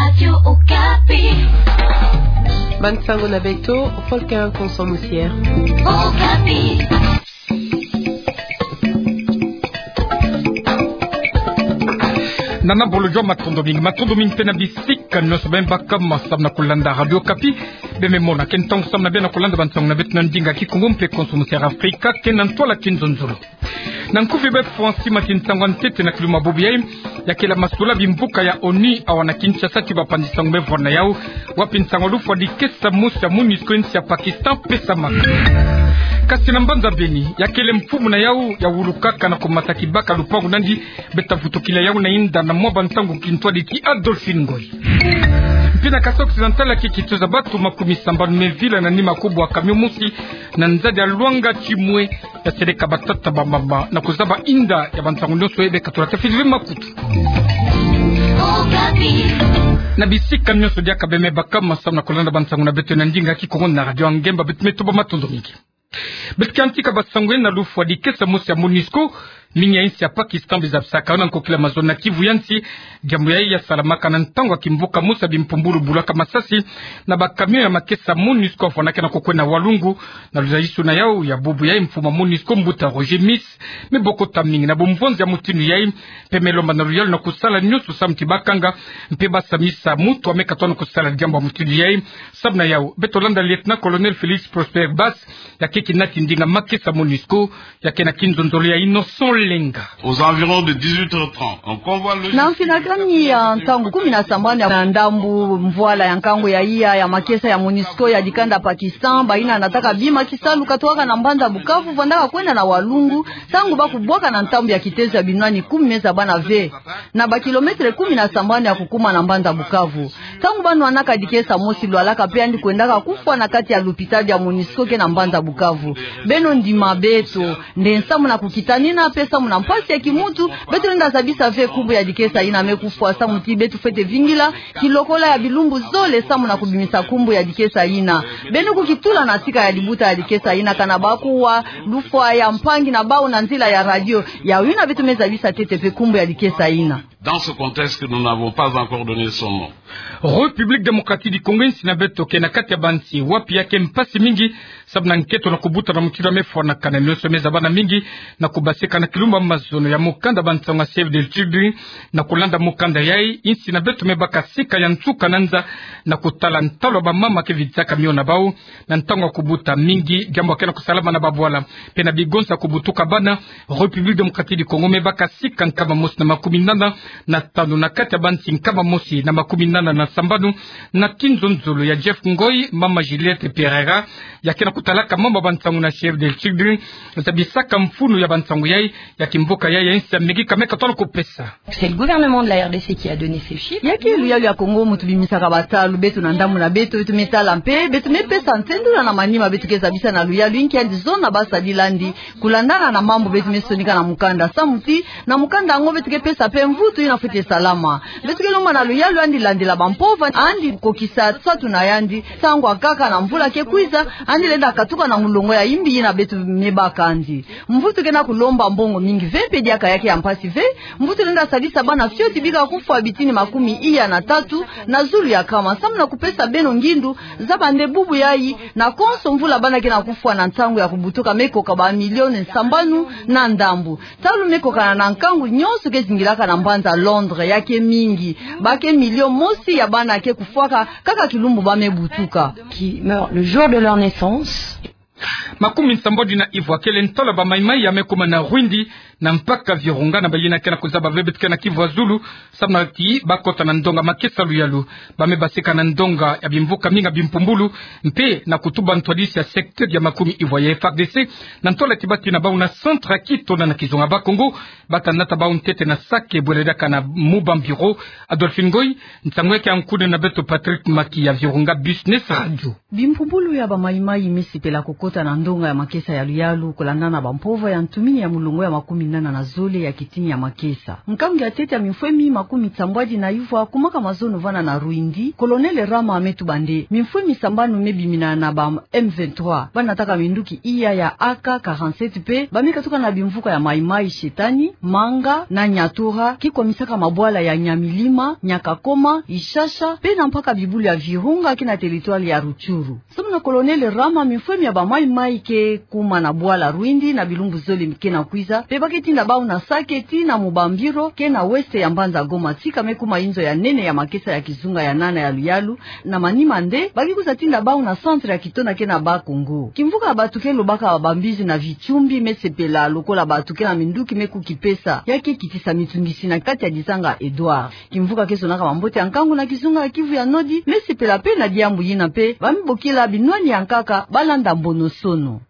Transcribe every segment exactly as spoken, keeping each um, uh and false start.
Radio Okapi. Bansango na beto, Volker Konso Musier. Okapi. Nana bolo jua matondo mingi, matondo mingi mpe na bisika nyonso beno baka ma samu na kulanda Radio Okapi. Beno mona ke ntangu samu na beno kulanda bansango na beto na ndinga Kikongo mpe Konso Musier Afrika, ke na ntwala kinzonzolo. Na nkufi befo, nsi mati ntangu ya ntete na kilumbu bubu yai, ya kele masula bimbuka ya ONU awa na Kinshasa ti bapanzi nsangu me vwanda yau, wapi nsangu lufwa dikesa mosi ya MONUSCO nsi ya Pakistan pesamaka. Kasi na mbanza Beni, ya kele mfumu na yau ya wulukaka na kumata kibaka lupangu na yandi, beta vutukila yau na inda na mwa bantangu kintwadi ti Adolphine Ngoy. Mpe na Kasaï Occidental, ya ke kituza batu makumi sambanu me vila na nima kubwa camion mosi na nzadi ya Luanga Tchimoué, ya seleka batata bamama na kuzaba inda ya bantangu nyonso ebe katula tafili ve makutu. Na bisika nyonso diaka beno me baka ma samu na kulanda bansango na beto na ndinga Kikongo na Radio Ngemba, beto me tuba matondo mingi. Beto ke yantika bansango na lufwa dikesa mosi ya MONUSCO, mingi ya nsi ya Pakistan bizabisaka na nkokila mazono na kivu ya nsi. Diambu yai ya salamaka na ntangu ya kimvuka mosi ya bimpumbulu bulaka masasi na bacamion ya makesa MONUSCO, fwanaka na kokwenda Walungu. Na luzayisuna yau ya bubu yai, mfumu ya MONUSCO, mbuta Roger Miss, me bokota mingi na bumvonzi ya mutindu yai, mpe me lomba na luyalu na kusala nyonso samu ti bakanga mpe basamisa mutu ame katona kusala diambu ya mutindu yai. Samu na yau, beto landa Lieutenant-colonel Félix Prosper Basse, ya ke kinati ndinga makesa MONUSCO, ya ke na kinzonzolo ya Innocent Lenga. Aux environs de dix-huit heures trente, un convoi logistique. Na mfinakani ya ntangu kumi na sambanu ya ndambu mvwala ya nkangu ya iya ya makesa ya MONUSCO ya dikanda Pakistan, bayina nataka bima kisalu katwaka na mbanza Bukavu, vandaka kwenda na Walungu, ntangu ba kubwaka na ntambu ya kitezo ya binwani kumi me zabana ve, na bakilometre kumi na sambanu ya kukuma na mbanza Bukavu. Ntangu ba nwanaka dikesa mosi, lwalaka mpe yandi kwendaka kufwa na kati ya lupitalu ya MONUSCO ke na mbanza Bukavu. Beno ndima beto, nde samu na kukitanina mpe samu na mpasi ya kimutu, beto lenda zabisa ve nkumbu ya dikesa yina me kufwa, samu ti beto fwete vingila kilokola ya bilumbu zole samu na kubimisa nkumbu ya dikesa yina. Beno kukitula na sika ya libuta ya dikesa yina, kana ba kuwa lufwa ya mpangi na bau na nzila ya radio, ya yina beto me zabisa ntete mpe nkumbu ya dikesa yina. Dans ce contexte, nous n'avons pas encore donné son nom. République démocratique du Congo, nsi na beto ke na kati ya bansi wapi ya ke mpasi mingi, samu na nketo na kubuta na mutindu ya me fwanakana, nyonso me zabana mingi na kubasika na kilumbu ya mazono ya mukanda bansango ya Save the Children. Na kulanda mukanda yai, nsi na beto me baka sika ya nsuka na nza na kutala ntalu ya bamama ke vidisaka miona na bau na ntangu ya kubuta mingi, diambu ya ke na kusalama na babwala mpe na bigonsa kubutuka bana. République démocratique du Congo me baka sika nkama mosi na makumi nana na tanu na kati ya bansi nkama mosi na makumi nana na sambanu. Na kinzonzolo ya Jeff Ngoy, mama Juliette Pereira, ya ke na kutalaka mambu ya bansango na Save the Children, zabisaka mfunu ya bansango yai, ya kimvuka yai ya nsi ya Amerika me katona kupesa. C'est le gouvernement de la R D C qui a donné ces chiffres. Ya ke luyalu ya Congo mu tubimisaka bantalu, beto na ndambu na beto, beto me tala mpe, beto me pesa nsendula na manima beto ke zabisa na luyalu inki yandi zona ba sadila yandi, kulandana na mambu beto me sonika na mukanda, samu ti na mukanda yango beto ke pesa mpe mvutu yina fwete salama. Beto ke lomba na luyalu yandi landila bampova, yandi kokisa nsatu na yandi, ntangu ya nkaka na mvula ke kwiza, yandi lenda katuka na mulongo ya imbi yina beto me baka yandi. Mvutu ke na kulomba mbongo mingi ve mpe diaka ya ke ya mpasi ve. Mvutu lenda sadisa bana fioti bika kufwa bitini makumi iya na tatu na zulu ya nkama. Samu na kupesa beno ngindu, zaba nde bubu yai, na konso mvula bana ke na kufwa na ntangu ya kubutuka me koka ba million sambanu na ndambu. Ntalu me kokana na nkangu nyonso ke zingilaka na mbanza Londres, ya ke mingi. Ba ke million mosi ya bana ke kufwaka kaka kilumbu ba me butuka. Qui meurent le jour de leur naissance. Makumi sambodi na ivwa kele ntalu ya bamaimai ya me kuma na Rwindi, na mpaka Virunga, na bayina ke na kuzaba ve beto ke na kivu ya zulu, samu na ti ba kota na ndonga makesa luyalu. Ba me basika na ndonga ya bimvuka mingi ya bimpumbulu, mpe na kutuba ntwadisi ya secteur ya makumi ivwa ya F A R D C, na ntwala ti bati na bau na centre ya kito na na kizunga Bakongo, bata nata bau ntete na sake bwele diaka na mu ba bureau. Adolphine Ngoy, nsangu ya ke ya nkuna na beto Patrick Maki ya Virunga Business Radio. Bimpumbulu ya bamaimai me sipela kukota na ndonga ya makesa ya luyalu, kulandana na bampova ya ntumini ya mulongo ya makumi nana na zole ya kitini ya makesa. Nkangu ya ntete ya mimfwemi makumi nsambwadi na yuvwa, kumwaka mazono vana na Rwindi, Colonel Rama me tuba nde mimfwemi sambanu me bimina na ba M vingt-trois, ba nataka minduki iya ya A K quarante-sept pe ba me katuka na bimvuka ya Maï-Maï, Shetani, Manga na Nyatura, ke kwamisaka mabwala ya Nyamilima, Nyakakoma, Ishasha, pe na mpaka bibulu ya Virunga ke na territoire ya Rutshuru. Samu na Colonel Rama, mimfwemi ya ba Maï-Maï ke kuma na bwala Rwindi na bilumbu zole ke na kwiza, pe ba ke tinda bau na Sake tii na Mubambiro ke na ouest ya mbanza Goma, tika me kuma inzo ya nene ya makesa ya kizunga ya nana ya luyalu. Na manima nde, ba ke kwiza tinda bau na centre ya Kitona ke na Bas-Congo. Kimvuka ya bato ke lobaka bambizi na Vitsumbi me sepela lokola bato ke na minduki me kukipesa, ya ke kitisa mitungisi na kati ya dizanga Edouard. Kimvuka ke zonaka mambote ya nkangu na kizunga ya Kivu ya Nodi me sepela pe na diambu yina pe ba me bokila binwani ya nkaka ba landa mbono-sono.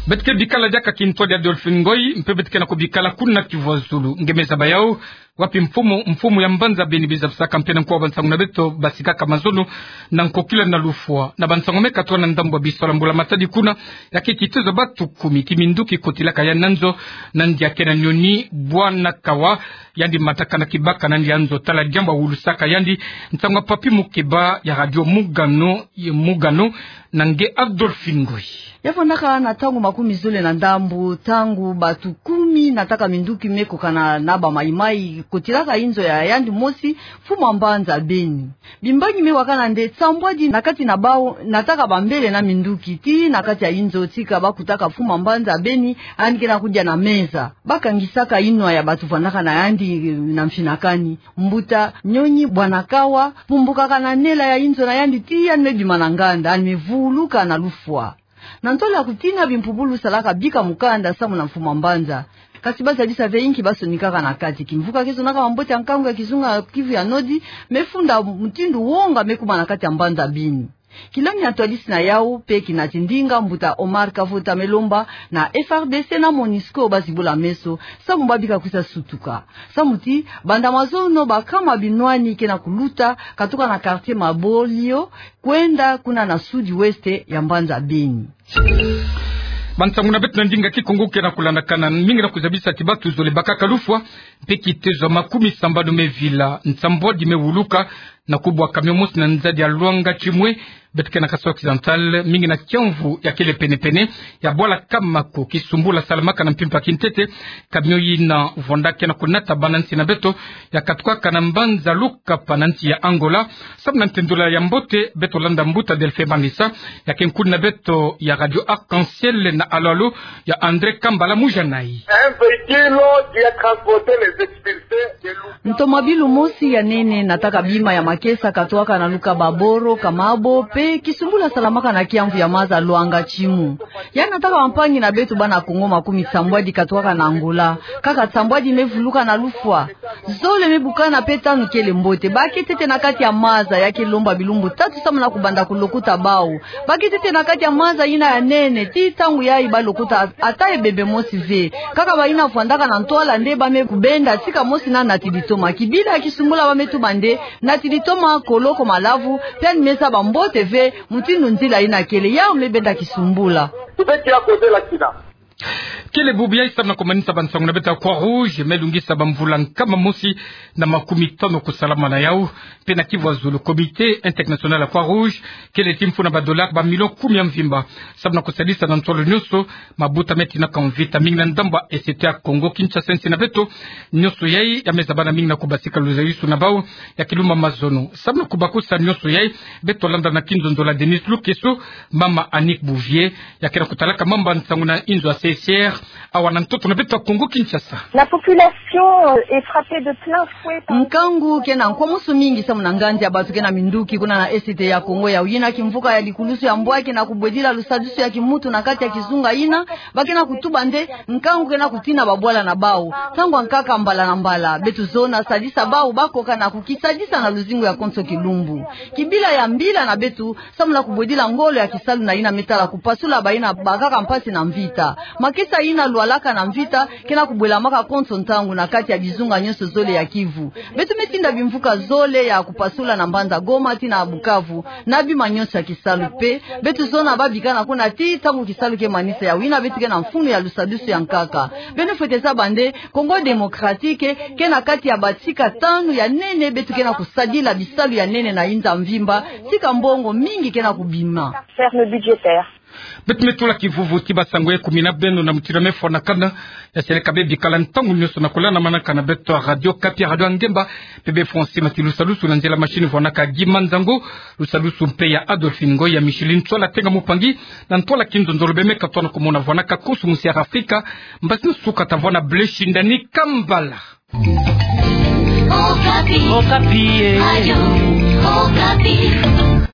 Beto ke bikala diaka kintwadi Adolphe Ngoy, mpe beto ke na kubikala kuna Kivu ya Zulu. Nge me zaba yau, wapi mfumu, mfumu ya mbanza Beni bizabisaka mpe na nkuwa bansangu na beto basikaka mazono na nkokila na lufwa. Na bansangu me katuka na ndambu ya bisola Mbula Matadi kuna, ya ke kitezo bato kumi, ti minduki kotilaka yandi na nzo, na ndia ke na nyoni Bwana Kawa, yandi mataka na kibaka na ndia nzo, tala diambu awulusaka yandi. Nsangu ya Papy Mokeba ya Radio Mungano, ye Mungano, na nge Adolphe Ngoy. Ya vandaka na ntangu makumi zole na ndambu, ntangu bato kumi nataka minduki me kokana na ba Maï-Maï kotilaka inzo ya yandi mosi, mfumu ya mbanza Beni. Bimbangi me wakana nde nsambwadi na kati na bau nataka bambele na minduki tii na kati ya inzo tika ba kutaka mfumu ya mbanza Beni, yandi ke na kudia na meza. Ba kangisaka inwa ya bato vandaka na yandi na mfinakani. Mbuta nyoni Bwana Kawa pumbukaka na nela ya inzo na yandi tii yandi me bima na nganda, yandi me vuluka na lufwa. Na ntwala ya kutina, bimpubulu salaka bika mukanda samu na mfumu ya mbanza. Kasi ba zabisa ve inki ba sonikaka na kati. Kimvuka ke zonaka mambote ya nkangu ya kizunga Kivu ya Nodi me funda mutindu wonga me kuma na kati ya mbanza Beni. Kilami ya ntwadisi na yau mpe kinati ndinga, mbuta Omar Kavota me lomba na F R D C na MONUSCO ba zibula meso, samu ba bika kwiza sutuka. Samu ti, banda mazono ba kama binwani ke na kuluta, katuka na quartier Mabolio, kwenda kuna na sud-ouest ya mbanza Beni. Bansangu na beto na ndinga Kikongo ke na kulandakana, mingi na kuzabisa ti bato zole bakaka lufwa, mpe kitezo makumi sambanu me vila, nsambwadi me wuluka, na kubwa camion mosi na nzadi ya Luanga Tshimwe, beto ke na Kasai Occidental, mingi na kiamvu ya kele penepene ya bwala Kamako. Kisumbula salamaka na mpimpa kintete, camion yina vwanda ke na kunata bana nsi na beto ya katukaka na mbanza Lukapa na nsi ya Angola. Samu na ntendula ya mbote, beto landa mbuta Delphin Manisa, ya ke nkuni na beto ya Radio Arc-en-Ciel na alo-alo ya André Kambala Mujanai. Un véhicule qui a transporté les expulsés de Lukapa. Ntomabilu mosi ya nene nataka bima ya makesa katuaka na Lukapa, Boro, Kamabo, mpe kisumbula salamaka na kiamvu ya maza Luanga Tshimwe. Ya nataka bampangi na beto bana Kongo makumi sambwadi katuaka na Angola. Kaka sambwadi me vuluka na lufwa. Zole me bukana mpe tanu kele mbote. Ba ke ntete na kati ya maza, ya ke lomba bilumbu tatu samu na kubanda kulokota bau. Ba ke ntete na kati ya maza yina ya nene, tii ntangu yayi ba lokota ata ebembe mosi ve. Kaka bayina vwandaka na ntwala nde ba me kubenda, tika mosi na nati litoma. Kibila ya kisumbula ba me tuba nde nati litoma, koloko malavu, mpe yandi me zaba mbote ve mutindu nzila yina kele. Yau me benda kisumbula. Kele bubu yayi samu na kumanisa bansangu na beto ya Croix-Rouge, me lungisa bamvula nkama mosi na makumi tanu kusalama na yau, mpe na Kivu ya Zulu, Comité International ya Croix-Rouge kele ti mfuna ba dollars ba millions kumi ya mvimba, samu na kusadisa na ntolo nyonso mabuta me tinaka mvita, mingi na ndambu ya Est ya Kongo Kinshasa, nsi na beto. Nyonso yayi ya me zabana mingi na kubasika luzayusu na bau ya kilumbu ya mazono. Samu na kubakusa nyonso yayi, beto landa na kinzonzolo ya Denise Lukeso, mama Annick Bouvier, ya ke na kutalaka mamba nsangu na inzo ya C I C R, awa na ntoto na beto ya Kongo Kinshasa. La population, euh, est frappée de plein fouet par... Nkangu ke na nkwamusu mingi samu na nganzi ya bato ke na minduki kuna na Est ya Kongo, yawu yina kimvuka ya likulusu ya mbwaki na kubwedila lusadisu ya kimuntu na kati ya kizunga yina. Ba ke na kutuba nde nkangu ke na kutina babwala na bau, ntangu ya nkaka mbala na mbala. Beto zona sadisa bau ba koka na kukisadisa na luzingu ya konso kilumbu. Kibila ya mbila na beto samu na kubwedila ngolo ya kisalu na yina me tala kupasula bayina babakaka mpasi na mvita. Makesa ina lwalaka na mvita ke na kubwelamaka konso ntangu na kati ya bizunga nyonso zole ya Kivu. Beto me tinda bimvuka zole ya kupasula na mbanza Goma tii na Bukavu, na bima nyonso ya kisalu mpe beto zona ba bikana kuna tii ntangu kisalu ke manisa. Yawu ina beto ke na mfunu ya lusadusu ya nkaka. Beno fwete zaba nde Congo Démocratique ke na kati ya batika tanu ya nene beto ke na kusadila bisalu ya nene na inza mvimba, tika mbongo mingi ke na kubima. Ferme budgétaire. Beto me tula kivuvu ti basango ya kumina beno na mutindu ya me fwanakana. Ya seleka be bikala ntangu nyonso na kula na manaka na beto ya Radio Okapi, Radio ya Ngemba, mpe be fwansimati lusadusu na nzila machine fwanaka Guy Manzango, lusadusu mpe ya Adolphine Ngoy, ya Micheline Ntsola Tenga Mupangi, na ntwala kinzonzolo be me katono kumona fwanaka kusumusi ya Afrika, mbasi nsuka ta vwa na Blaise Shindani Kambala. Okapi. Okapi, eh. Radio Okapi.